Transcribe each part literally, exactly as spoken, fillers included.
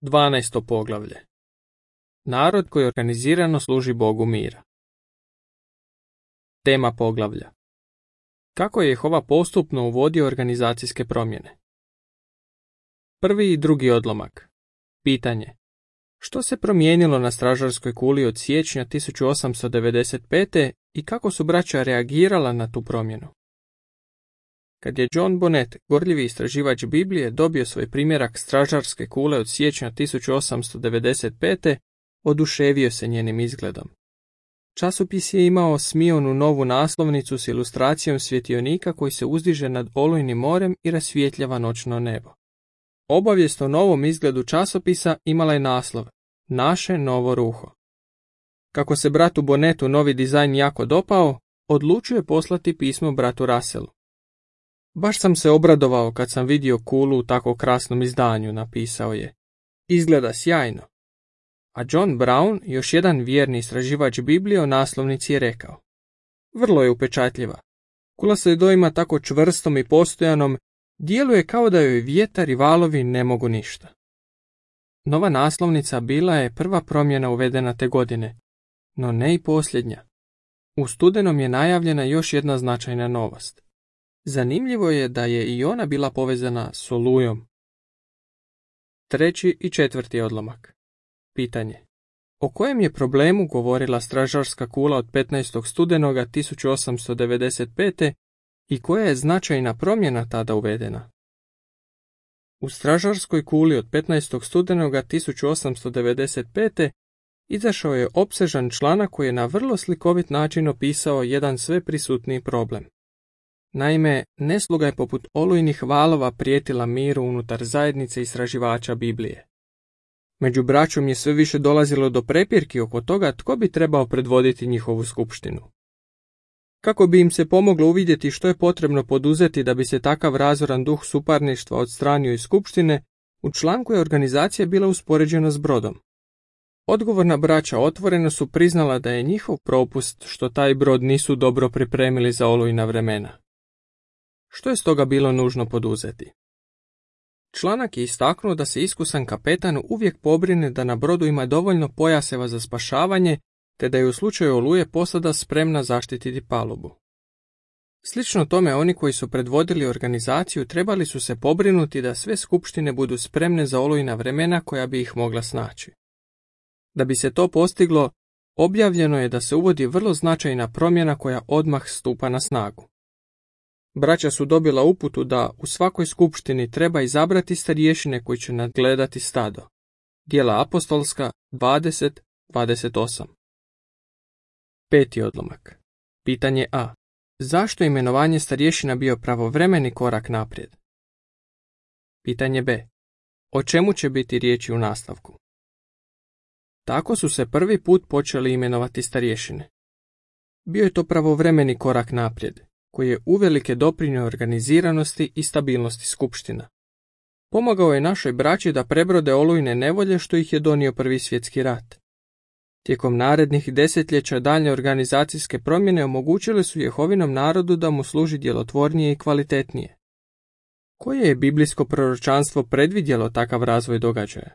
Dvanaesto poglavlje. Narod koji organizirano služi Bogu mira. Tema poglavlja. Kako je Jehova postupno uvodio organizacijske promjene? Prvi i drugi odlomak. Pitanje. Što se promijenilo na stražarskoj kuli od siječnja tisuću osamsto devedeset pete i kako su braća reagirala na tu promjenu? Kad je John Bonnet, gorljivi istraživač Biblije, dobio svoj primjerak stražarske kule od siječnja tisuću osamsto devedeset pete, oduševio se njenim izgledom. Časopis je imao smijonu novu naslovnicu s ilustracijom svjetionika koji se uzdiže nad olujnim morem i rasvjetljava noćno nebo. Obavijest o novom izgledu časopisa imala je naslov Naše novo ruho. Kako se bratu Bonnettu novi dizajn jako dopao, odlučio je poslati pismo bratu Russellu. Baš sam se obradovao kad sam vidio kulu u tako krasnom izdanju, napisao je. Izgleda sjajno. A John Brown, još jedan vjerni istraživač Biblije, o naslovnici je rekao. Vrlo je upečatljiva. Kula se doima tako čvrstom i postojanom, djeluje kao da joj vjetar i valovi ne mogu ništa. Nova naslovnica bila je prva promjena uvedena te godine, no ne i posljednja. U studenom je najavljena još jedna značajna novost. Zanimljivo je da je i ona bila povezana s olujom. Treći i četvrti odlomak. Pitanje. O kojem je problemu govorila stražarska kula od petnaestog studenoga tisuću osamsto devedeset pete i koja je značajna promjena tada uvedena? U stražarskoj kuli od petnaestog studenoga tisuću osamsto devedeset pete izašao je opsežan članak koji je na vrlo slikovit način opisao jedan sve prisutniji problem. Naime, nesluga je poput olujnih valova prijetila miru unutar zajednice istraživača Biblije. Među braćom je sve više dolazilo do prepirki oko toga tko bi trebao predvoditi njihovu skupštinu. Kako bi im se pomoglo uvidjeti što je potrebno poduzeti da bi se takav razoran duh suparništva odstranio iz skupštine, u članku je organizacija bila uspoređena s brodom. Odgovorna braća otvoreno su priznala da je njihov propust što taj brod nisu dobro pripremili za olujna vremena. Što je stoga bilo nužno poduzeti? Članak je istaknuo da se iskusan kapetan uvijek pobrine da na brodu ima dovoljno pojaseva za spašavanje, te da je u slučaju oluje posada spremna zaštititi palubu. Slično tome, oni koji su predvodili organizaciju trebali su se pobrinuti da sve skupštine budu spremne za olujna vremena koja bi ih mogla snaći. Da bi se to postiglo, objavljeno je da se uvodi vrlo značajna promjena koja odmah stupa na snagu. Braća su dobila uputu da u svakoj skupštini treba izabrati starješine koji će nadgledati stado. Djela apostolska dvadeset dvadeset osam. Peti odlomak. Pitanje A. Zašto je imenovanje starješina bio pravovremeni korak naprijed? Pitanje B. O čemu će biti riječi u nastavku? Tako su se prvi put počeli imenovati starješine. Bio je to pravovremeni korak naprijed, koji je uvelike doprinio organiziranosti i stabilnosti skupština. Pomogao je našoj braći da prebrode olujne nevolje što ih je donio Prvi svjetski rat. Tijekom narednih desetljeća daljnje organizacijske promjene omogućile su Jehovinom narodu da mu služi djelotvornije i kvalitetnije. Koje je biblijsko proročanstvo predvidjelo takav razvoj događaja?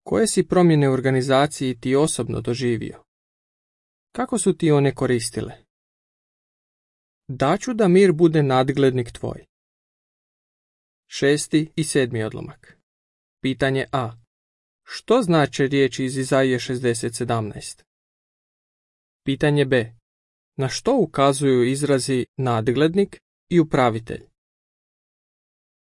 Koje si promjene u organizaciji ti osobno doživio? Kako su ti one koristile? Daću da mir bude nadglednik tvoj. Šesti i sedmi odlomak. Pitanje A. Što znače riječi iz Izaije šezdeset sedamnaest? Pitanje B. Na što ukazuju izrazi nadglednik i upravitelj?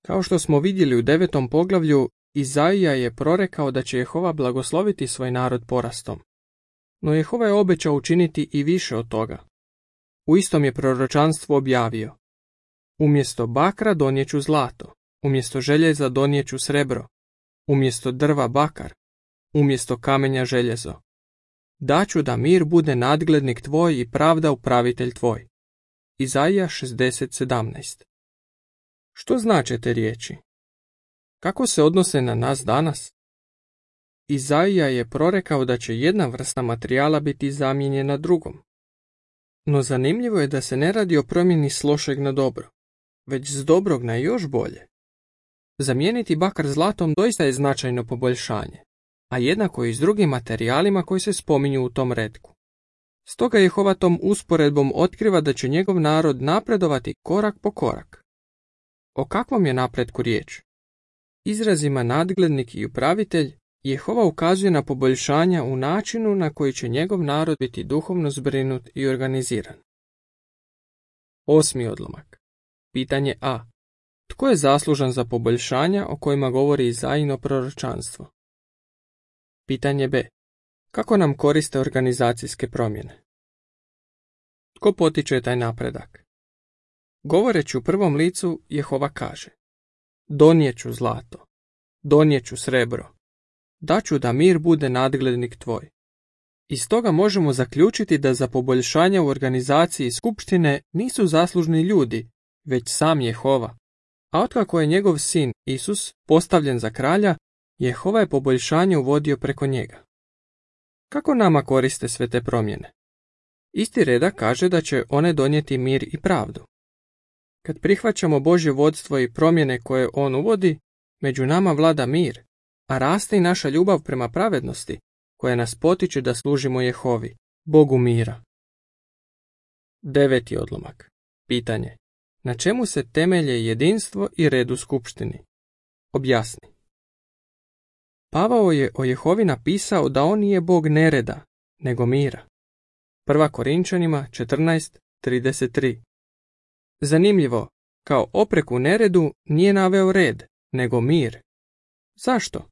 Kao što smo vidjeli u devetom poglavlju, Izaija je prorekao da će Jehova blagosloviti svoj narod porastom. No Jehova je obećao učiniti i više od toga. U istom je proročanstvu objavio: umjesto bakra donijeću zlato, umjesto željeza donijeću srebro, umjesto drva bakar, umjesto kamenja željezo. Daću da mir bude nadglednik tvoj i pravda upravitelj tvoj. Izaija šezdeset sedamnaest. Što znače te riječi? Kako se odnose na nas danas? Izaija je prorekao da će jedna vrsta materijala biti zamijenjena drugom. No zanimljivo je da se ne radi o promjeni s lošeg na dobro, već s dobrog na još bolje. Zamijeniti bakar zlatom doista je značajno poboljšanje, a jednako i s drugim materijalima koji se spominju u tom retku. Stoga Jehova tom usporedbom otkriva da će njegov narod napredovati korak po korak. O kakvom je napretku riječ? Izrazima nadglednik i upravitelj Jehova ukazuje na poboljšanja u načinu na koji će njegov narod biti duhovno zbrinut i organiziran. Osmi odlomak. Pitanje A. Tko je zaslužan za poboljšanja o kojima govori Izaijino proročanstvo? Pitanje B. Kako nam koriste organizacijske promjene? Tko potiče taj napredak? Govoreći u prvom licu, Jehova kaže: Donijeću zlato, donijeću srebro, daću da mir bude nadglednik tvoj. Iz toga možemo zaključiti da za poboljšanja u organizaciji skupštine nisu zaslužni ljudi, već sam Jehova. A otkako je njegov sin Isus postavljen za kralja, Jehova je poboljšanje uvodio preko njega. Kako nama koriste sve te promjene? Isti redak kaže da će one donijeti mir i pravdu. Kad prihvaćamo Božje vodstvo i promjene koje on uvodi, među nama vlada mir, a raste i naša ljubav prema pravednosti, koja nas potiče da služimo Jehovi, Bogu mira. Deveti odlomak. Pitanje. Na čemu se temelje jedinstvo i red u skupštini? Objasni. Pavao je o Jehovi napisao da on nije Bog nereda, nego mira. Prva Korinčanima četrnaest trideset tri. Zanimljivo, kao opreku neredu nije naveo red, nego mir. Zašto?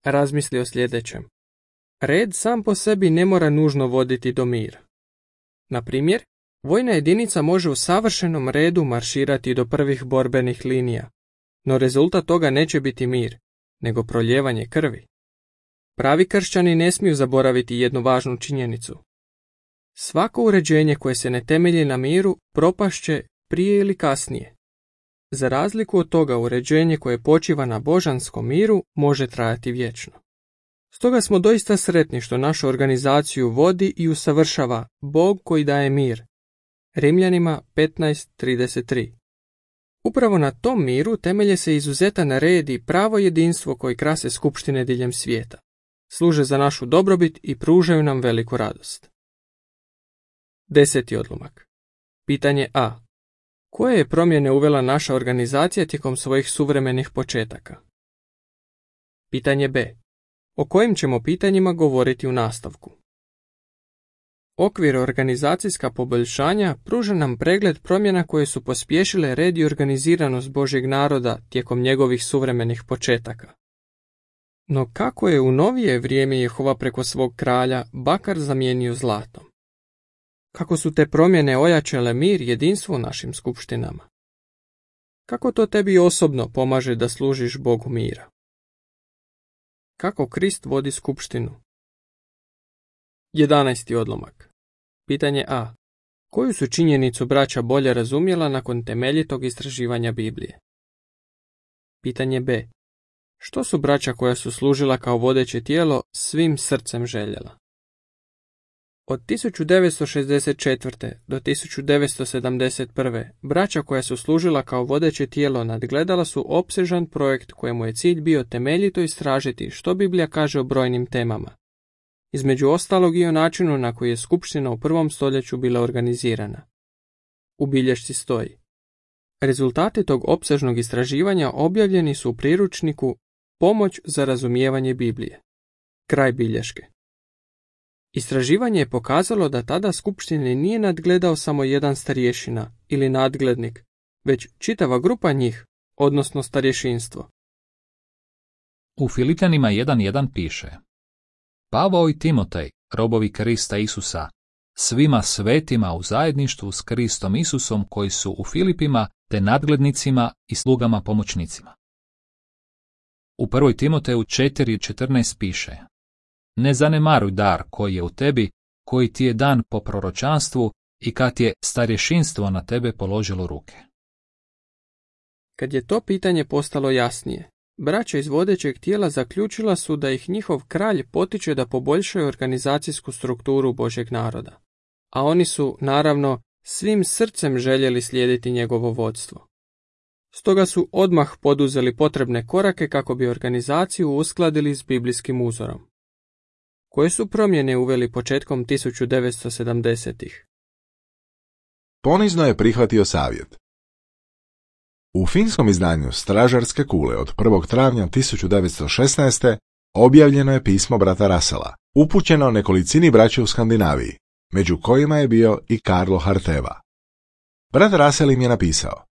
Razmisli o sljedećem. Red sam po sebi ne mora nužno voditi do mira. Na primjer, vojna jedinica može u savršenom redu marširati do prvih borbenih linija, no rezultat toga neće biti mir, nego proljevanje krvi. Pravi kršćani ne smiju zaboraviti jednu važnu činjenicu. Svako uređenje koje se ne temelji na miru propašće prije ili kasnije. Za razliku od toga, uređenje koje počiva na božanskom miru može trajati vječno. Stoga smo doista sretni što našu organizaciju vodi i usavršava Bog koji daje mir. Rimljanima petnaest trideset tri. Upravo na tom miru temelje se izuzetan red i pravo jedinstvo koji krase skupštine diljem svijeta. Služe za našu dobrobit i pružaju nam veliku radost. Deseti odlomak. Pitanje A. Koje je promjene uvela naša organizacija tijekom svojih suvremenih početaka? Pitanje B. O kojim ćemo pitanjima govoriti u nastavku? Okvir organizacijska poboljšanja pruža nam pregled promjena koje su pospješile red i organiziranost Božjeg naroda tijekom njegovih suvremenih početaka. No kako je u novije vrijeme Jehova preko svog kralja bakar zamijenio zlatom? Kako su te promjene ojačale mir i jedinstvo u našim skupštinama? Kako to tebi osobno pomaže da služiš Bogu mira? Kako Krist vodi skupštinu? Jedanaesti odlomak. Pitanje A. Koju su činjenicu braća bolje razumjela nakon temeljitog istraživanja Biblije? Pitanje B. Što su braća koja su služila kao vodeće tijelo svim srcem željela? Od tisuću devetsto šezdeset četvrte. do tisuću devetsto sedamdeset prve. braća koja su služila kao vodeće tijelo nadgledala su opsežan projekt kojemu je cilj bio temeljito istražiti što Biblija kaže o brojnim temama. Između ostalog i o načinu na koji je skupština u prvom stoljeću bila organizirana. U bilješci stoji: rezultati tog opsežnog istraživanja objavljeni su u priručniku Pomoć za razumijevanje Biblije. Kraj bilješke. Istraživanje je pokazalo da tada skupštine nije nadgledao samo jedan starješina ili nadglednik, već čitava grupa njih, odnosno starješinstvo. U Filipljanima jedan jedan piše: Pavao i Timotej, robovi Krista Isusa, svima svetima u zajedništvu s Kristom Isusom koji su u Filipima, te nadglednicima i slugama pomoćnicima. U prvoj Timoteju četiri četrnaest piše: Ne zanemaruj dar koji je u tebi, koji ti je dan po proročanstvu i kad je starješinstvo na tebe položilo ruke. Kad je to pitanje postalo jasnije, braća iz vodećeg tijela zaključila su da ih njihov kralj potiče da poboljšaju organizacijsku strukturu Božjeg naroda, a oni su, naravno, svim srcem željeli slijediti njegovo vodstvo. Stoga su odmah poduzeli potrebne korake kako bi organizaciju uskladili s biblijskim uzorom. Koje su promjene uveli početkom tisuću devetsto sedamdesetih? Ponizno je prihvatio savjet. U finskom izdanju Stražarske kule od prvog travnja tisuću devetsto šesnaeste. objavljeno je pismo brata Russella, upućeno nekolicini braće u Skandinaviji, među kojima je bio i Karlo Harteva. Brat Russell im je napisao: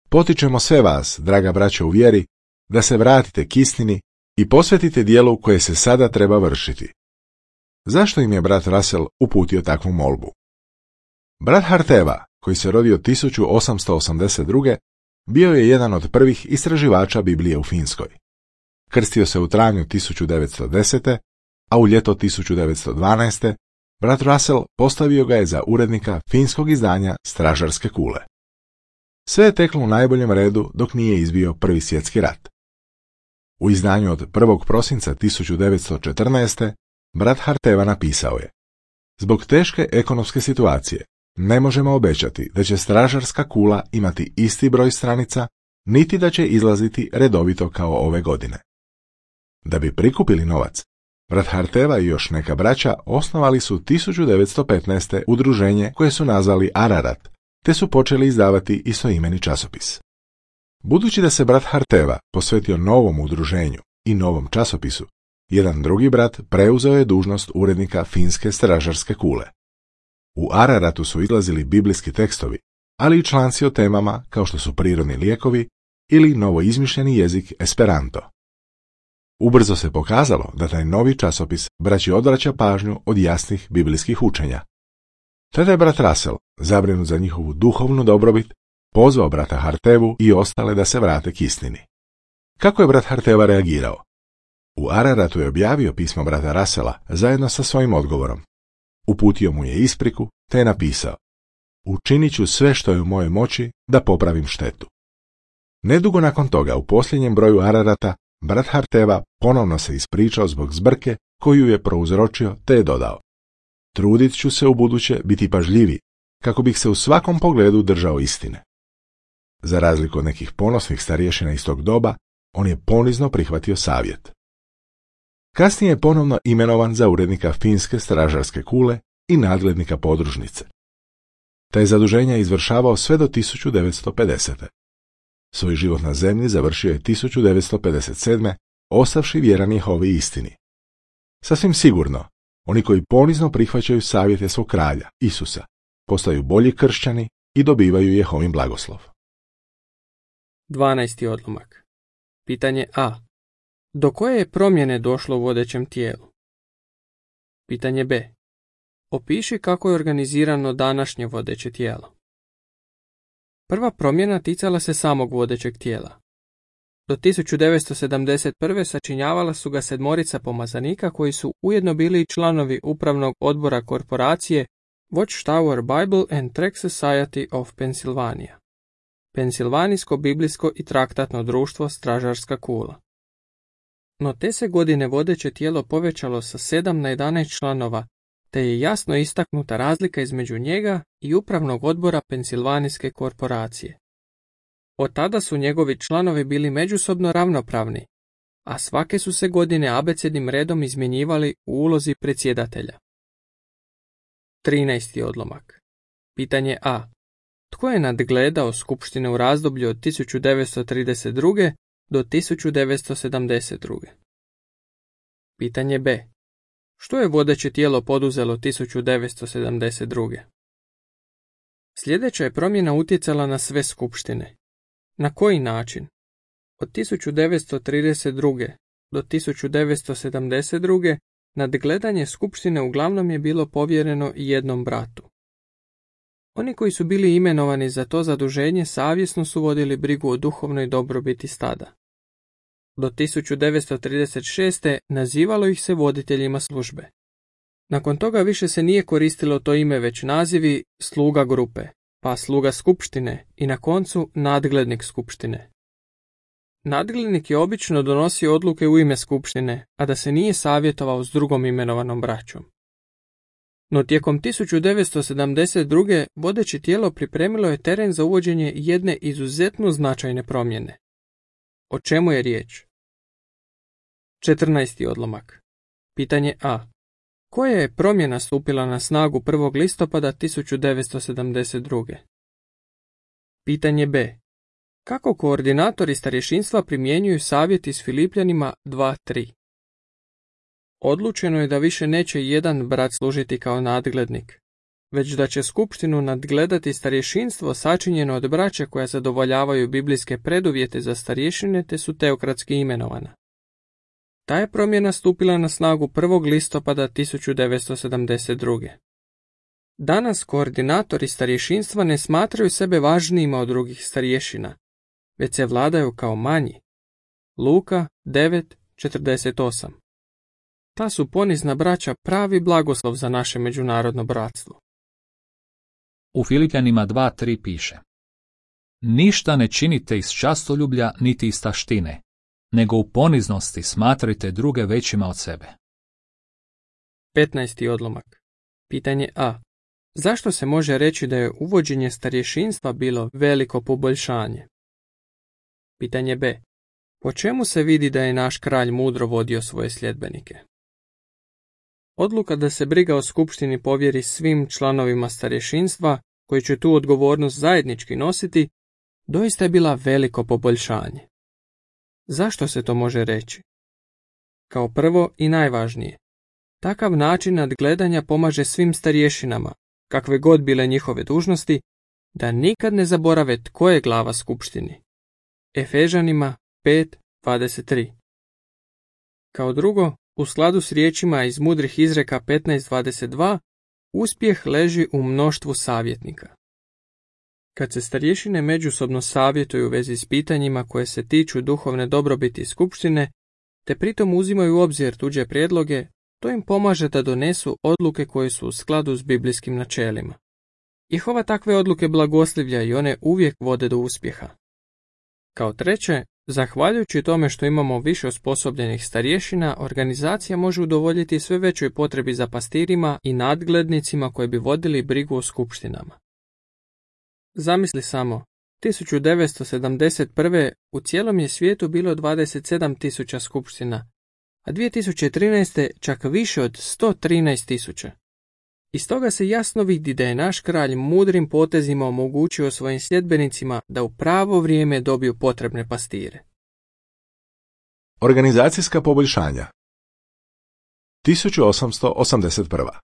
Potičemo sve vas, draga braća u vjeri, da se vratite k istini i posvetite dijelu koje se sada treba vršiti. Zašto im je brat Russell uputio takvu molbu? Brat Harteva, koji se rodio tisuću osamsto osamdeset druge. bio je jedan od prvih istraživača Biblije u Finskoj. Krstio se u travnju tisuću devetsto desete. a u ljeto tisuću devetsto dvanaeste. brat Russell postavio ga je za urednika finskog izdanja Stražarske kule. Sve je teklo u najboljem redu dok nije izbio Prvi svjetski rat. U izdanju od prvog prosinca tisuću devetsto četrnaeste. brat Harteva napisao je: Zbog teške ekonomske situacije ne možemo obećati da će Stražarska kula imati isti broj stranica, niti da će izlaziti redovito kao ove godine. Da bi prikupili novac, brat Harteva i još neka braća osnovali su tisuću devetsto petnaeste. udruženje koje su nazvali Ararat, te su počeli izdavati istoimeni časopis. Budući da se brat Harteva posvetio novom udruženju i novom časopisu, jedan drugi brat preuzeo je dužnost urednika finske Stražarske kule. U Araratu su izlazili biblijski tekstovi, ali i članci o temama kao što su prirodni lijekovi ili novoizmišljeni jezik Esperanto. Ubrzo se pokazalo da taj novi časopis braći odvraća pažnju od jasnih biblijskih učenja. Tada je brat Russell, zabrinut za njihovu duhovnu dobrobit, pozvao brata Hartevu i ostale da se vrate k istini. Kako je brat Harteva reagirao? U Araratu je objavio pismo brata Russella zajedno sa svojim odgovorom. Uputio mu je ispriku, te je napisao: Učinit ću sve što je u mojoj moći da popravim štetu. Nedugo nakon toga, u posljednjem broju Ararata, brat Harteva ponovno se ispričao zbog zbrke koju je prouzročio, te je dodao: Trudit ću se u buduće biti pažljiviji, kako bih se u svakom pogledu držao istine. Za razliku od nekih ponosnih starješina iz tog doba, on je ponizno prihvatio savjet. Kasnije je ponovno imenovan za urednika finske Stražarske kule i nadglednika podružnice. Taj zaduženja je izvršavao sve do tisuću devetsto pedesete. Svoj život na zemlji završio je tisuću devetsto pedeset sedme. ostavši vjeran Jehovi istini. Sasvim sigurno, oni koji ponizno prihvaćaju savjete svog kralja, Isusa, postaju bolji kršćani i dobivaju Jehovin blagoslov. dvanaesti odlomak. Pitanje A. Do koje je promjene došlo u vodećem tijelu? Pitanje B. Opiši kako je organizirano današnje vodeće tijelo. Prva promjena ticala se samog vodećeg tijela. Do tisuću devetsto sedamdeset prve. sačinjavala su ga sedmorica pomazanika koji su ujedno bili i članovi upravnog odbora korporacije Watchtower Bible and Tract Society of Pennsylvania, Pensilvanijsko biblijsko i traktatno društvo Stražarska kula. No te se godine vodeće tijelo povećalo sa sedam na jedanaest članova, te je jasno istaknuta razlika između njega i upravnog odbora Pensilvanijske korporacije. Od tada su njegovi članovi bili međusobno ravnopravni, a svake su se godine abecednim redom izmjenjivali u ulozi predsjedatelja. trinaesti odlomak. Pitanje A. Tko je nadgledao skupštine u razdoblju od tisuću devetsto trideset druge. do tisuću devetsto sedamdeset druge. Pitanje B. Što je vodeće tijelo poduzelo tisuću devetsto sedamdeset druge. Sljedeća je promjena utjecala na sve skupštine. Na koji način? Od tisuću devetsto trideset druge. do tisuću devetsto sedamdeset druge. nadgledanje skupštine uglavnom je bilo povjereno jednom bratu. Oni koji su bili imenovani za to zaduženje savjesno su vodili brigu o duhovnoj dobrobiti stada. Do tisuću devetsto trideset šeste. nazivalo ih se voditeljima službe. Nakon toga više se nije koristilo to ime, već nazivi sluga grupe, pa sluga skupštine i na koncu nadglednik skupštine. Nadglednik je obično donosio odluke u ime skupštine, a da se nije savjetovao s drugom imenovanom braćom. No tijekom tisuću devetsto sedamdeset druge. vodeće tijelo pripremilo je teren za uvođenje jedne izuzetno značajne promjene. O čemu je riječ? četrnaesti odlomak. Pitanje A. Koja je promjena stupila na snagu prvog listopada tisuću devetsto sedamdeset druge. Pitanje B. Kako koordinatori starješinstva primjenjuju savjet iz Filipljanima dva tri? Odlučeno je da više neće jedan brat služiti kao nadglednik, već da će skupštinu nadgledati starješinstvo sačinjeno od braća koja zadovoljavaju biblijske preduvjete za starješine te su teokratski imenovana. Ta je promjena stupila na snagu prvog listopada tisuću devetsto sedamdeset druge. Danas koordinatori starješinstva ne smatraju sebe važnijima od drugih starješina, već se vladaju kao manji. Luka devet četrdeset osam. Ta su ponizna braća pravi blagoslov za naše međunarodno bratstvo. U Filipljanima dva tri piše: Ništa ne činite iz častoljublja niti iz taštine, nego u poniznosti smatrajte druge većima od sebe. petnaesti odlomak. Pitanje A. Zašto se može reći da je uvođenje starješinstva bilo veliko poboljšanje? Pitanje B. Po čemu se vidi da je naš kralj mudro vodio svoje sljedbenike? Odluka da se briga o skupštini povjeri svim članovima starješinstva, koji će tu odgovornost zajednički nositi, doista je bila veliko poboljšanje. Zašto se to može reći? Kao prvo i najvažnije, takav način nadgledanja pomaže svim starješinama, kakve god bile njihove dužnosti, da nikad ne zaborave tko je glava skupštini. Efežanima pet dvadeset tri. Kao drugo, u skladu s riječima iz mudrih izreka petnaest dvadeset dva, uspjeh leži u mnoštvu savjetnika. Kad se starješine međusobno savjetuju u vezi s pitanjima koje se tiču duhovne dobrobiti skupštine, te pritom uzimaju u obzir tuđe prijedloge, to im pomaže da donesu odluke koje su u skladu s biblijskim načelima. Jehova takve odluke blagoslivlja i one uvijek vode do uspjeha. Kao treće, zahvaljujući tome što imamo više osposobljenih starješina, organizacija može udovoljiti sve većoj potrebi za pastirima i nadglednicima koji bi vodili brigu o skupštinama. Zamisli samo, tisuću devetsto sedamdeset prve. u cijelom je svijetu bilo dvadeset sedam tisuća skupština, a dvije tisuće trinaeste. čak više od sto trinaest tisuća. Iz toga se jasno vidi da je naš kralj mudrim potezima omogućio svojim sljedbenicima da u pravo vrijeme dobiju potrebne pastire. Organizacijska poboljšanja. tisuću osamsto osamdeset prva.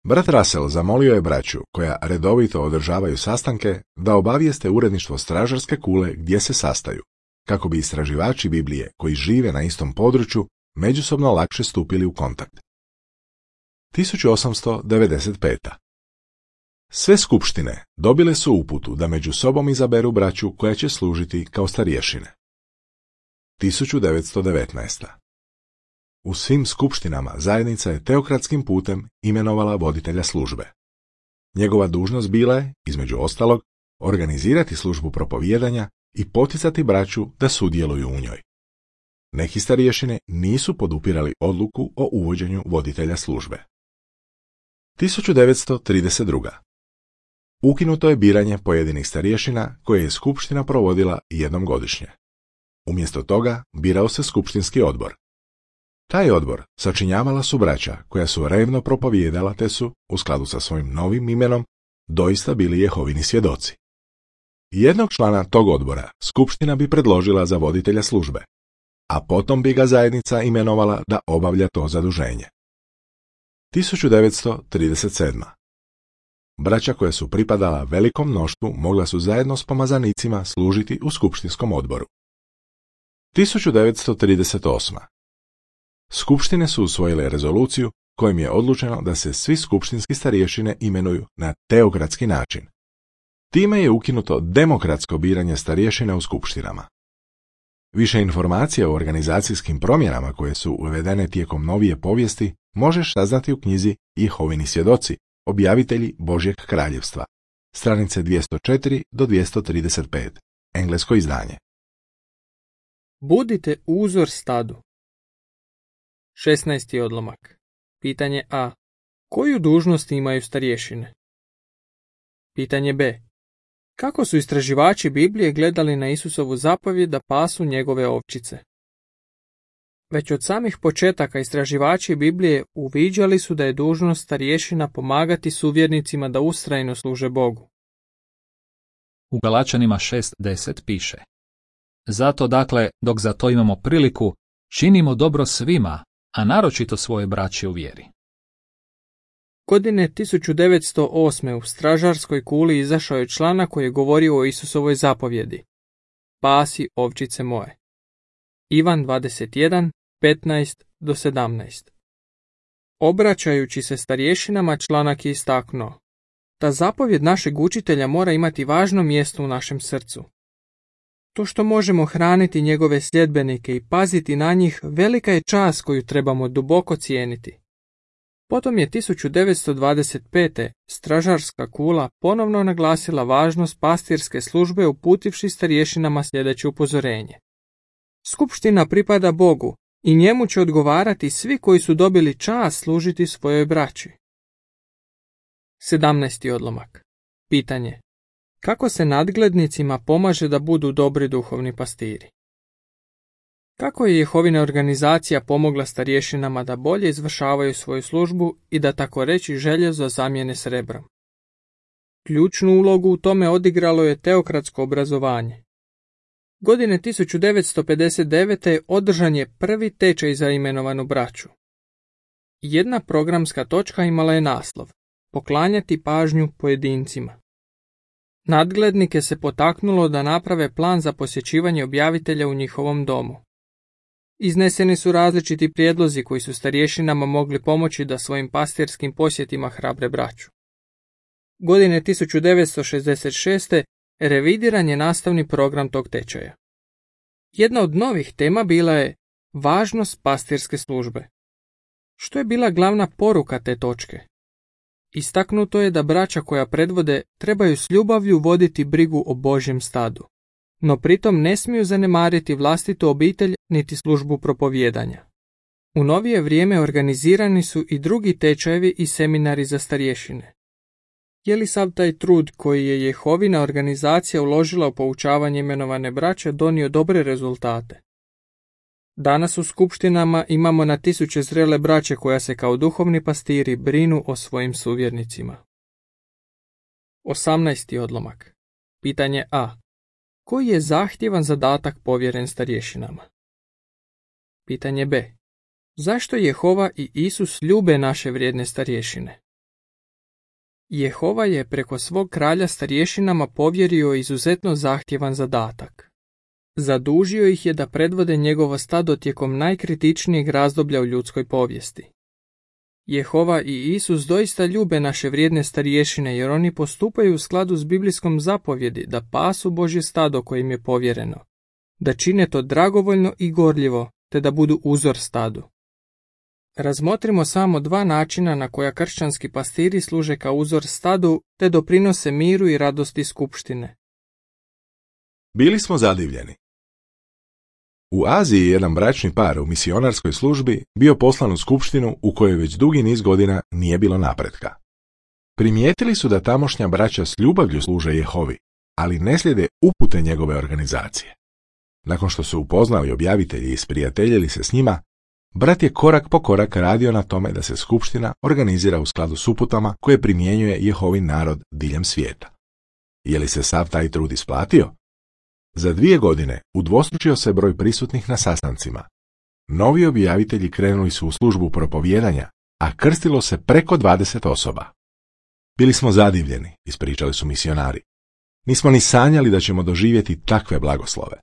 Brat Russell zamolio je braću, koja redovito održavaju sastanke, da obavijeste uredništvo stražarske kule gdje se sastaju, kako bi istraživači Biblije koji žive na istom području međusobno lakše stupili u kontakt. tisuću osamsto devedeset peta. Sve skupštine dobile su uputu da među sobom izaberu braću koja će služiti kao starješine. tisuću devetsto devetnaesta. U svim skupštinama zajednica je teokratskim putem imenovala voditelja službe. Njegova dužnost bila je, između ostalog, organizirati službu propovijedanja i poticati braću da sudjeluju u njoj. Neki starješine nisu podupirali odluku o uvođenju voditelja službe. tisuću devetsto trideset druga. Ukinuto je biranje pojedinih starješina koje je skupština provodila jednom godišnje. Umjesto toga birao se skupštinski odbor. Taj odbor sačinjavala su braća koja su revno propovijedala te su, u skladu sa svojim novim imenom, doista bili Jehovini svjedoci. Jednog člana tog odbora skupština bi predložila za voditelja službe, a potom bi ga zajednica imenovala da obavlja to zaduženje. tisuću devetsto trideset sedma. Braća koja su pripadala velikom mnoštvu mogla su zajedno s pomazanicima služiti u skupštinskom odboru. tisuću devetsto trideset osma. Skupštine su usvojile rezoluciju kojim je odlučeno da se svi skupštinski starješine imenuju na teokratski način. Time je ukinuto demokratsko biranje starješina u skupštinama. Više informacija o organizacijskim promjenama koje su uvedene tijekom novije povijesti možeš saznati u knjizi Jehovini svjedoci, objavitelji Božjeg kraljevstva, stranice dvjesto četiri do dvjesto trideset pet, englesko izdanje. Budite uzor stadu. šesnaesti odlomak. Pitanje A. Koju dužnost imaju starješine? Pitanje B. Kako su istraživači Biblije gledali na Isusovu zapovjed da pasu njegove ovčice? Već od samih početaka istraživači Biblije uviđali su da je dužnost starješina pomagati suvjernicima da ustrajno služe Bogu. U Galačanima šest deset piše: Zato dakle, dok za to imamo priliku, činimo dobro svima, a naročito svoje braće u vjeri. Godine tisuću devetsto osme u stražarskoj kuli izašao je članak koji je govorio o Isusovoj zapovjedi: Pasi ovčice moje. Ivan dvadeset jedan, petnaest do sedamnaest. Obraćajući se starješinama, članak je istaknuo: Ta zapovjed našeg učitelja mora imati važno mjesto u našem srcu. To što možemo hraniti njegove sljedbenike i paziti na njih, velika je čast koju trebamo duboko cijeniti. Potom je tisuću devetsto dvadeset pete. stražarska kula ponovno naglasila važnost pastirske službe uputivši starješinama sljedeće upozorenje: Skupština pripada Bogu i njemu će odgovarati svi koji su dobili čast služiti svojoj braći. sedamnaesti odlomak. Pitanje: Kako se nadglednicima pomaže da budu dobri duhovni pastiri? Kako je Jehovina organizacija pomogla starješinama da bolje izvršavaju svoju službu i da tako reći željezo zamijene srebrom? Ključnu ulogu u tome odigralo je teokratsko obrazovanje. Godine tisuću devetsto pedeset devete. održan je prvi tečaj za imenovanu braću. Jedna programska točka imala je naslov: Poklanjati pažnju pojedincima. Nadglednike se potaknulo da naprave plan za posjećivanje objavitelja u njihovom domu. Izneseni su različiti prijedlozi koji su starješinama mogli pomoći da svojim pastirskim posjetima hrabre braću. Godine tisuću devetsto šezdeset šeste. revidiran je nastavni program tog tečaja. Jedna od novih tema bila je važnost pastirske službe. Što je bila glavna poruka te točke? Istaknuto je da braća koja predvode trebaju s ljubavlju voditi brigu o Božjem stadu, no pritom ne smiju zanemariti vlastitu obitelj niti službu propovijedanja. U novije vrijeme organizirani su i drugi tečajevi i seminari za starješine. Je li sav taj trud koji je Jehovina organizacija uložila u poučavanje imenovane braće donio dobre rezultate? Danas u skupštinama imamo na tisuće zrele braće koja se kao duhovni pastiri brinu o svojim suvjernicima. osamnaesti odlomak. Pitanje A. Koji je zahtjevan zadatak povjeren starješinama? Pitanje B. Zašto Jehova i Isus ljube naše vrijedne starješine? Jehova je preko svog kralja starješinama povjerio izuzetno zahtjevan zadatak. Zadužio ih je da predvode njegovo stado tijekom najkritičnijeg razdoblja u ljudskoj povijesti. Jehova i Isus doista ljube naše vrijedne starješine jer oni postupaju u skladu s biblijskom zapovjedi da pasu Božje stado koje im je povjereno, da čine to dragovoljno i gorljivo, te da budu uzor stadu. Razmotrimo samo dva načina na koja kršćanski pastiri služe kao uzor stadu te doprinose miru i radosti skupštine. Bili smo zadivljeni. U Aziji jedan bračni par u misionarskoj službi bio poslan u skupštinu u kojoj već dugi niz godina nije bilo napretka. Primijetili su da tamošnja braća s ljubavlju služe Jehovi, ali ne slijede upute njegove organizacije. Nakon što su upoznali objavitelji i sprijateljili se s njima, brat je korak po korak radio na tome da se skupština organizira u skladu s uputama koje primjenjuje Jehovin narod diljem svijeta. Je li se sav taj trud isplatio? Za dvije godine udvostručio se broj prisutnih na sastancima. Novi objavitelji krenuli su u službu propovijedanja, a krstilo se preko dvadeset osoba. Bili smo zadivljeni, ispričali su misionari. Nismo ni sanjali da ćemo doživjeti takve blagoslove.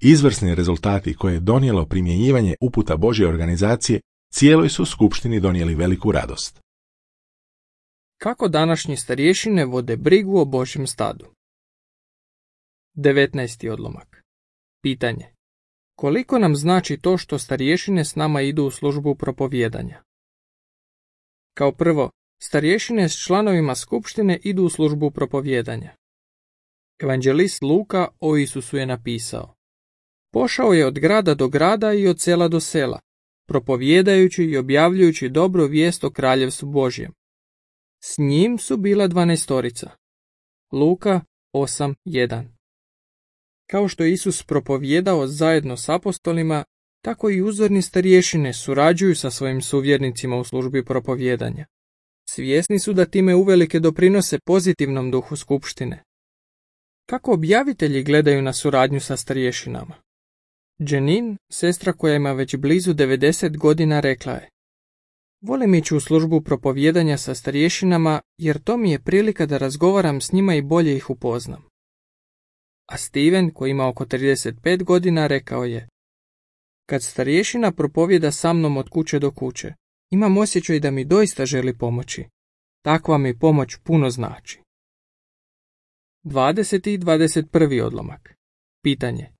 Izvrsni rezultati koje je donijelo primjenjivanje uputa Božje organizacije cijeloj su skupštini donijeli veliku radost. Kako današnji starješine vode brigu o Božjem stadu? devetnaesti odlomak. Pitanje. Koliko nam znači to što starješine s nama idu u službu propovijedanja? Kao prvo, starješine s članovima skupštine idu u službu propovijedanja. Evanđelist Luka o Isusu je napisao: Pošao je od grada do grada i od sela do sela, propovjedajući i objavljujući dobru vijest o kraljevstvu Božjem. S njim su bila dvanaestorica. Luka osam jedan. Kao što je Isus propovjedao zajedno s apostolima, tako i uzorni starješine surađuju sa svojim suvjernicima u službi propovjedanja. Svjesni su da time uvelike doprinose pozitivnom duhu skupštine. Kako objavitelji gledaju na suradnju sa starješinama? Jenin, sestra koja ima već blizu devedeset godina, rekla je: volim ići u službu propovjedanja sa starješinama jer to mi je prilika da razgovaram s njima i bolje ih upoznam. A Steven, koji ima oko trideset pet godina, rekao je: kad starješina propovjeda sa mnom od kuće do kuće, imam osjećaj da mi doista želi pomoći. Takva mi pomoć puno znači. dvadeseti i dvadeset prvi odlomak. Pitanje: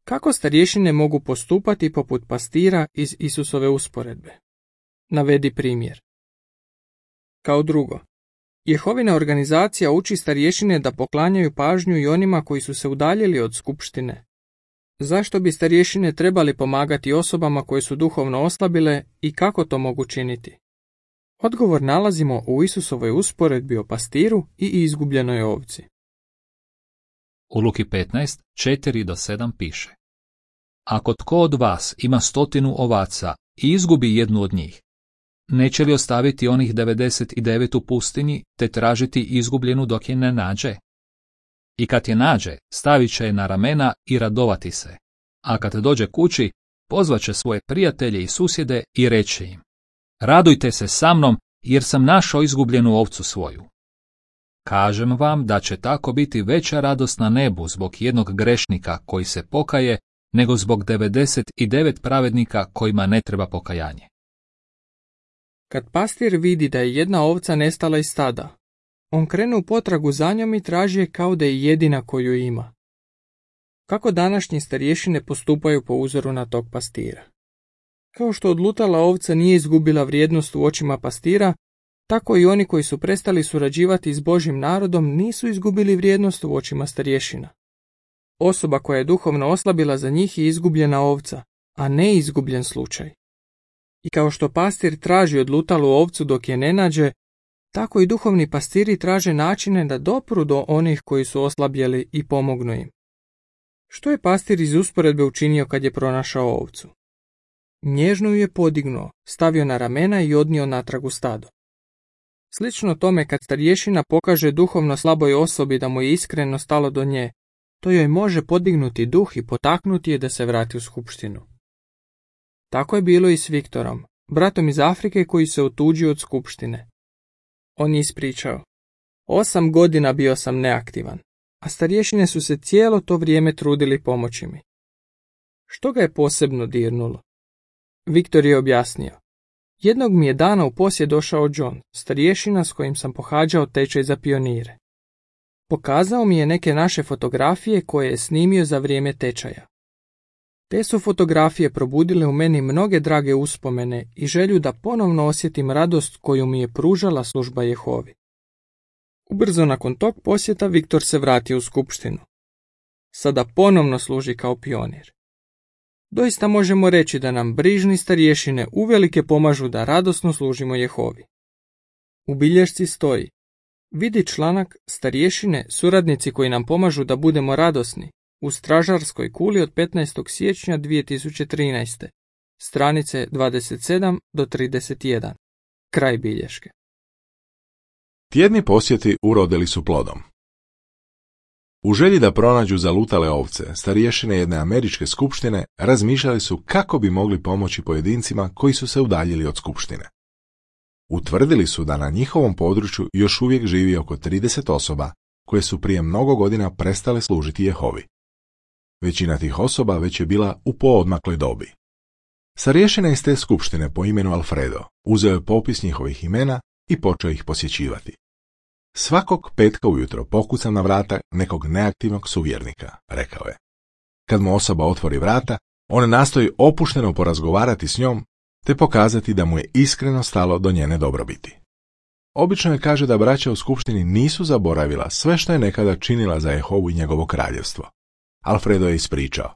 kako starješine mogu postupati poput pastira iz Isusove usporedbe? Navedi primjer. Kao drugo, Jehovina organizacija uči starješine da poklanjaju pažnju i onima koji su se udaljili od skupštine. Zašto bi starješine trebali pomagati osobama koje su duhovno oslabile i kako to mogu činiti? Odgovor nalazimo u Isusovoj usporedbi o pastiru i izgubljenoj ovci. U Luki petnaest, četiri do sedam piše: ako tko od vas ima stotinu ovaca i izgubi jednu od njih, neće li ostaviti onih devedeset devet u pustinji te tražiti izgubljenu dok je ne nađe? I kad je nađe, stavit će je na ramena i radovati se, a kad dođe kući, pozvaće svoje prijatelje i susjede i reći im: radujte se sa mnom jer sam našao izgubljenu ovcu svoju. Kažem vam da će tako biti veća radost na nebu zbog jednog grešnika koji se pokaje, nego zbog devedeset devet pravednika kojima ne treba pokajanje. Kad pastir vidi da je jedna ovca nestala iz stada, on krene u potragu za njom i traži je kao da je jedina koju ima. Kako današnji starješine postupaju po uzoru na tog pastira? Kao što odlutala ovca nije izgubila vrijednost u očima pastira, tako i oni koji su prestali surađivati s Božjim narodom nisu izgubili vrijednost u očima starješina. Osoba koja je duhovno oslabila za njih je izgubljena ovca, a ne izgubljen slučaj. I kao što pastir traži odlutalu ovcu dok je ne nađe, tako i duhovni pastiri traže načine da dopru do onih koji su oslabjeli i pomognu im. Što je pastir iz usporedbe učinio kad je pronašao ovcu? Nježno ju je podignuo, stavio na ramena i odnio natrag u stado. Slično tome kad starješina pokaže duhovno slaboj osobi da mu je iskreno stalo do nje, to joj može podignuti duh i potaknuti je da se vrati u skupštinu. Tako je bilo i s Viktorom, bratom iz Afrike koji se otuđio od skupštine. On je ispričao: osam godina bio sam neaktivan, a starješine su se cijelo to vrijeme trudili pomoći mi. Što ga je posebno dirnulo? Viktor je objasnio: jednog mi je dana u posjed došao John, starješina s kojim sam pohađao tečaj za pionire. Pokazao mi je neke naše fotografije koje je snimio za vrijeme tečaja. Te su fotografije probudile u meni mnoge drage uspomene i želju da ponovno osjetim radost koju mi je pružala služba Jehovi. Ubrzo nakon tog posjeta Viktor se vratio u skupštinu. Sada ponovno služi kao pionir. Doista možemo reći da nam brižni starješine uvelike pomažu da radosno služimo Jehovi. U bilješci stoji: vidi članak Starješine, suradnici koji nam pomažu da budemo radosni, u Stražarskoj kuli od petnaestog siječnja dvije tisuće trinaeste. Stranice dvadeset sedam do trideset jedan. Kraj bilješke. Tjedni posjeti urodili su plodom. U želji da pronađu zalutale ovce, starješine jedne američke skupštine razmišljali su kako bi mogli pomoći pojedincima koji su se udaljili od skupštine. Utvrdili su da na njihovom području još uvijek živi oko trideset osoba koje su prije mnogo godina prestale služiti Jehovi. Većina tih osoba već je bila u poodmakloj dobi. Starješina iz te skupštine po imenu Alfredo uzeo je popis njihovih imena i počeo ih posjećivati. Svakog petka ujutro pokucam na vrata nekog neaktivnog suvjernika, rekao je. Kad mu osoba otvori vrata, on nastoji opušteno porazgovarati s njom te pokazati da mu je iskreno stalo do njene dobrobiti. Obično je kaže da braća u skupštini nisu zaboravila sve što je nekada činila za Jehovu i njegovo kraljevstvo. Alfredo je ispričao: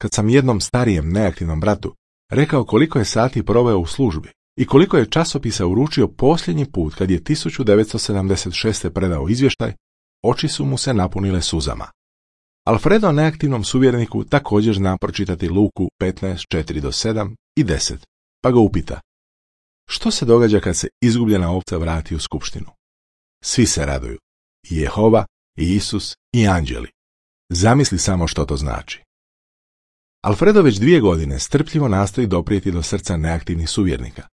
kad sam jednom starijem neaktivnom bratu rekao koliko je sati proveo u službi i koliko je časopisa uručio posljednji put kad je tisuću devetsto sedamdeset šeste predao izvještaj, oči su mu se napunile suzama. Alfredo neaktivnom suvjereniku također zna pročitati Luku petnaest, četiri do sedam i deset, pa ga upita: što se događa kad se izgubljena ovca vrati u skupštinu? Svi se raduju, i Jehova, i Isus, i anđeli. Zamisli samo što to znači. Alfredo već dvije godine strpljivo nastoji doprijeti do srca neaktivnih suvjernika.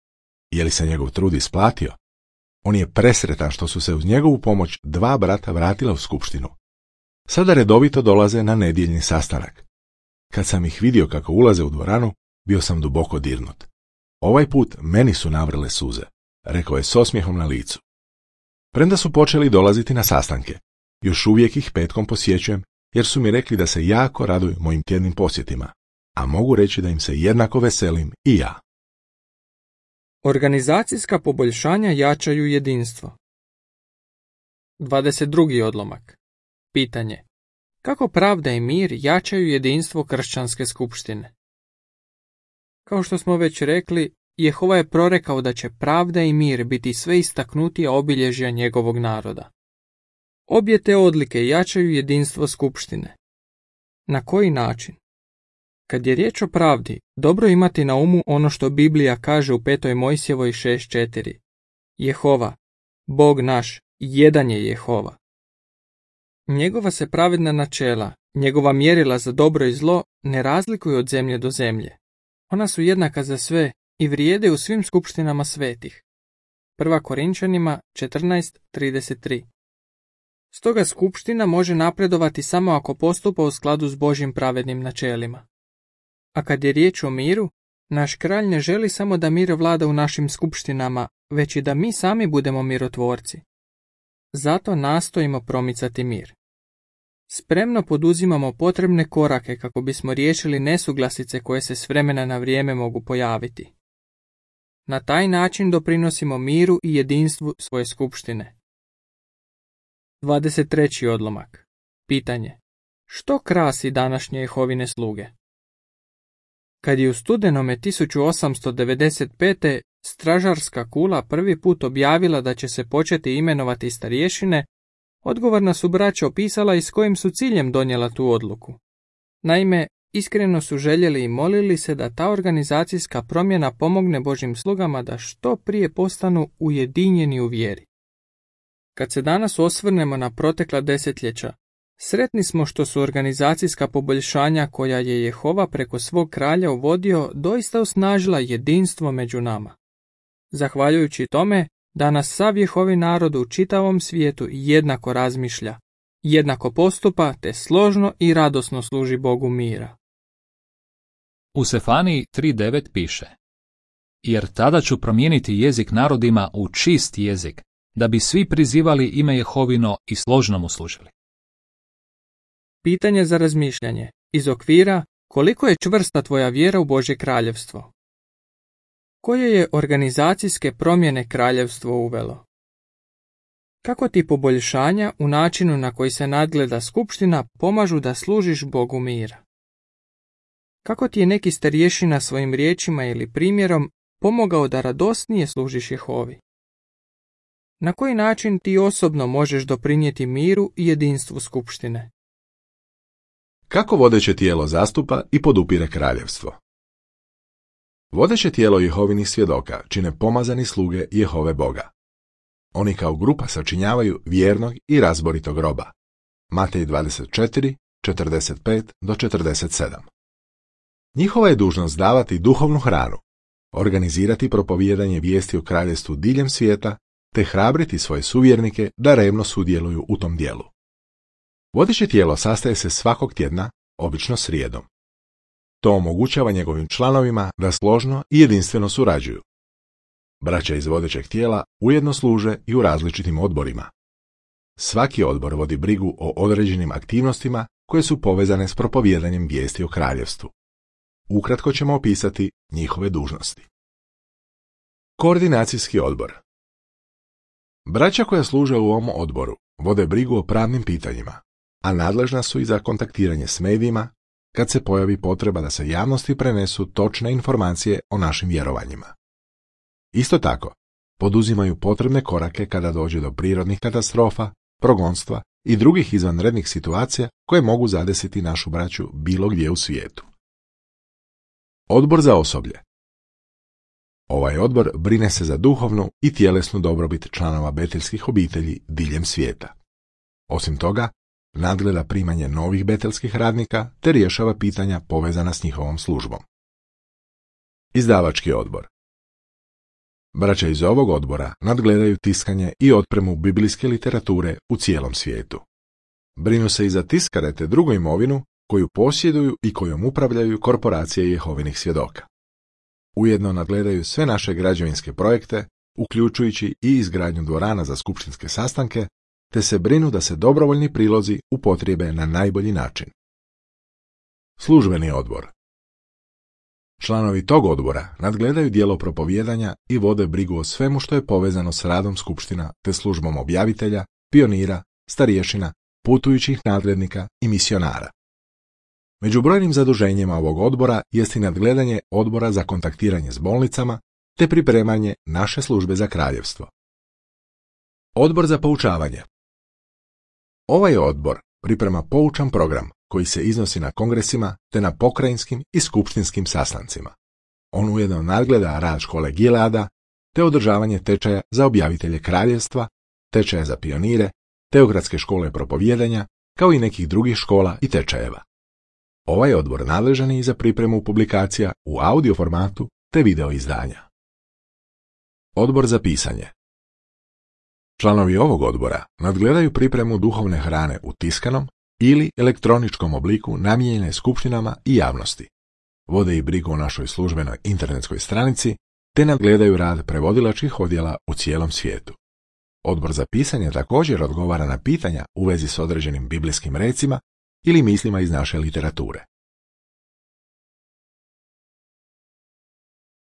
Je li se njegov trud isplatio? On je presretan što su se uz njegovu pomoć dva brata vratila u skupštinu. Sada redovito dolaze na nedjeljni sastanak. Kad sam ih vidio kako ulaze u dvoranu, bio sam duboko dirnut. Ovaj put meni su navrle suze, rekao je s osmijehom na licu. Premda su počeli dolaziti na sastanke, još uvijek ih petkom posjećujem jer su mi rekli da se jako raduju mojim tjednim posjetima, a mogu reći da im se jednako veselim i ja. Organizacijska poboljšanja jačaju jedinstvo. dvadeset drugi odlomak. Pitanje: kako pravda i mir jačaju jedinstvo kršćanske skupštine? Kao što smo već rekli, Jehova je prorekao da će pravda i mir biti sve istaknutija obilježja njegovog naroda. Obje te odlike jačaju jedinstvo skupštine. Na koji način? Kad je riječ o pravdi, dobro imati na umu ono što Biblija kaže u petoj Mojsijevoj šest četiri. Jehova, Bog naš, jedan je Jehova. Njegova se pravedna načela, njegova mjerila za dobro i zlo ne razlikuju od zemlje do zemlje. Ona su jednaka za sve i vrijede u svim skupštinama svetih. Prva Korinčanima četrnaest trideset tri. Stoga skupština može napredovati samo ako postupa u skladu s Božjim pravednim načelima. A kad je riječ o miru, naš kralj ne želi samo da mir vlada u našim skupštinama, već i da mi sami budemo mirotvorci. Zato nastojimo promicati mir. Spremno poduzimamo potrebne korake kako bismo riješili nesuglasice koje se s vremena na vrijeme mogu pojaviti. Na taj način doprinosimo miru i jedinstvu svoje skupštine. dvadeset treći odlomak. Pitanje: što krasi današnje Jehovine sluge? Kad je u studenome tisuću osamsto devedeset pete stražarska kula prvi put objavila da će se početi imenovati starješine, odgovorna su braća opisala i s kojim su ciljem donijela tu odluku. Naime, iskreno su željeli i molili se da ta organizacijska promjena pomogne Božjim slugama da što prije postanu ujedinjeni u vjeri. Kad se danas osvrnemo na protekla desetljeća, sretni smo što su organizacijska poboljšanja koja je Jehova preko svog kralja uvodio doista osnažila jedinstvo među nama. Zahvaljujući tome, danas sav Jehovin narod u čitavom svijetu jednako razmišlja, jednako postupa te složno i radosno služi Bogu mira. U Sefaniji tri devet piše: jer tada ću promijeniti jezik narodima u čist jezik, da bi svi prizivali ime Jehovino i složno mu služili. Pitanje za razmišljanje iz okvira: koliko je čvrsta tvoja vjera u Božje kraljevstvo? Koje je organizacijske promjene kraljevstvo uvelo? Kako ti poboljšanja u načinu na koji se nadgleda skupština pomažu da služiš Bogu mira? Kako ti je neki starješina svojim riječima ili primjerom pomogao da radosnije služiš Jehovi? Na koji način ti osobno možeš doprinijeti miru i jedinstvu skupštine? Kako vodeće tijelo zastupa i podupire kraljevstvo? Vodeće tijelo Jehovinih svjedoka čine pomazani sluge Jehove Boga. Oni kao grupa sačinjavaju vjernog i razboritog roba. Matej dvadeset četiri, četrdeset pet do četrdeset sedam. Njihova je dužnost davati duhovnu hranu, organizirati propovijedanje vijesti o kraljevstvu diljem svijeta, te hrabriti svoje suvjernike da revno sudjeluju u tom dijelu. Vodeće tijelo sastaje se svakog tjedna, obično srijedom. To omogućava njegovim članovima da složno i jedinstveno surađuju. Braća iz vodećeg tijela ujedno služe i u različitim odborima. Svaki odbor vodi brigu o određenim aktivnostima koje su povezane s propovijedanjem vijesti o kraljevstvu. Ukratko ćemo opisati njihove dužnosti. Koordinacijski odbor. Braća koja služe u ovom odboru vode brigu o pravnim pitanjima, a nadležna su i za kontaktiranje s medijima, kad se pojavi potreba da se javnosti prenesu točne informacije o našim vjerovanjima. Isto tako, poduzimaju potrebne korake kada dođe do prirodnih katastrofa, progonstva i drugih izvanrednih situacija koje mogu zadesiti našu braću bilo gdje u svijetu. Odbor za osoblje. Ovaj odbor brine se za duhovnu i tjelesnu dobrobit članova beteljskih obitelji diljem svijeta. Osim toga, nadgleda primanje novih beteljskih radnika te rješava pitanja povezana s njihovom službom. Izdavački odbor. Braća iz ovog odbora nadgledaju tiskanje i otpremu biblijske literature u cijelom svijetu. Brinu se i za tiskare te drugu imovinu koju posjeduju i kojom upravljaju korporacije Jehovinih svjedoka. Ujedno nadgledaju sve naše građevinske projekte, uključujući i izgradnju dvorana za skupštinske sastanke, te se brinu da se dobrovoljni prilozi upotrijebe na najbolji način. Službeni odbor. Članovi tog odbora nadgledaju djelo propovijedanja i vode brigu o svemu što je povezano s radom skupština te službom objavitelja, pionira, starješina, putujućih nadglednika i misionara. Među brojnim zaduženjima ovog odbora jest i nadgledanje odbora za kontaktiranje s bolnicama te pripremanje naše službe za kraljevstvo. Odbor za poučavanje. Ovaj odbor priprema poučan program koji se iznosi na kongresima te na pokrajinskim i skupštinskim sastancima. On ujedno nadgleda rad škole Gileada te održavanje tečaja za objavitelje kraljevstva, tečaja za pionire, teokratske škole propovijedanja, kao i nekih drugih škola i tečajeva. Ovaj odbor nadležan je i za pripremu publikacija u audio formatu te video izdanja. Odbor za pisanje. Članovi ovog odbora nadgledaju pripremu duhovne hrane u tiskanom ili elektroničkom obliku namijenjene skupštinama i javnosti. Vode i brigu o našoj službenoj internetskoj stranici te nadgledaju rad prevodilačkih odjela u cijelom svijetu. Odbor za pisanje također odgovara na pitanja u vezi s određenim biblijskim recima ili mislima iz naše literature.